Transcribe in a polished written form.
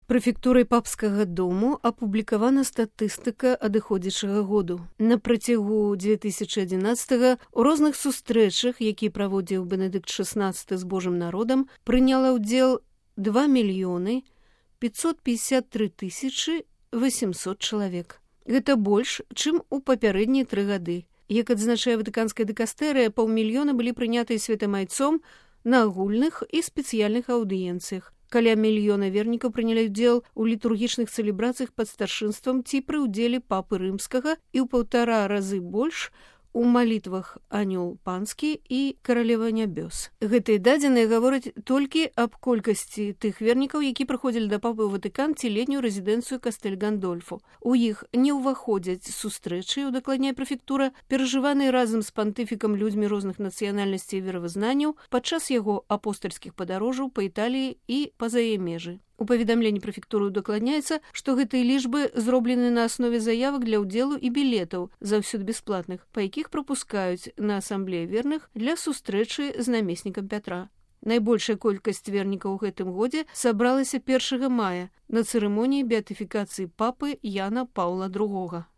Прэфектурай папскага дому апублікавана статыстыка адыходзячага году. На працягу 2011 у розных сустрэчах, які праводзіў Бенедыкт XVI з Божым народам, прыняла ўдзел 2 553 800 чалавек. Гэта больш, чым у папярэднія 3 гады. Як адзначае Ватыканская дыкастэрыя, 500 000 былі прынятыя святамайцом на агульных і спецыяльных аўдыенцыях. Каля 1 мільёна вернікаў прынялі ўдзел у літургічных цэлебрацыях пад старшынствам ці пры ўдзеле папы рымскага і ў 1,5 разы больш у малітвах Анёл панскі і Каралева нябёс. Гэтыя дадзеныя гавораць толькі аб колькасці тых вернікаў, які прыходзілі да папы ў Ватыкан ці летнюю рэзідэнцыю Кастэль Гандольфо. У іх не ўваходзяць сустрэчы, удакладняе прэфектура, перажываныя разам з пантыфікам людзьмі розных нацыянальнасцей і веравызнанняў падчас яго апостальскіх падарожжаў па Італіі і па-за яе межы. У паведамленні прэфектуры удакладняецца, што гэтыя лічбы зроблены на аснове заявак для ўдзелу і білетаў, заўсёды бясплатных, па якіх прапускаюць на асамблеі верных для сустрэчы з намеснікам Пятра. Найбольшая колькасць вернікаў у гэтым годзе сабралася 1 мая на цырымоніі беатыфікацыі папы Яна Паўла II.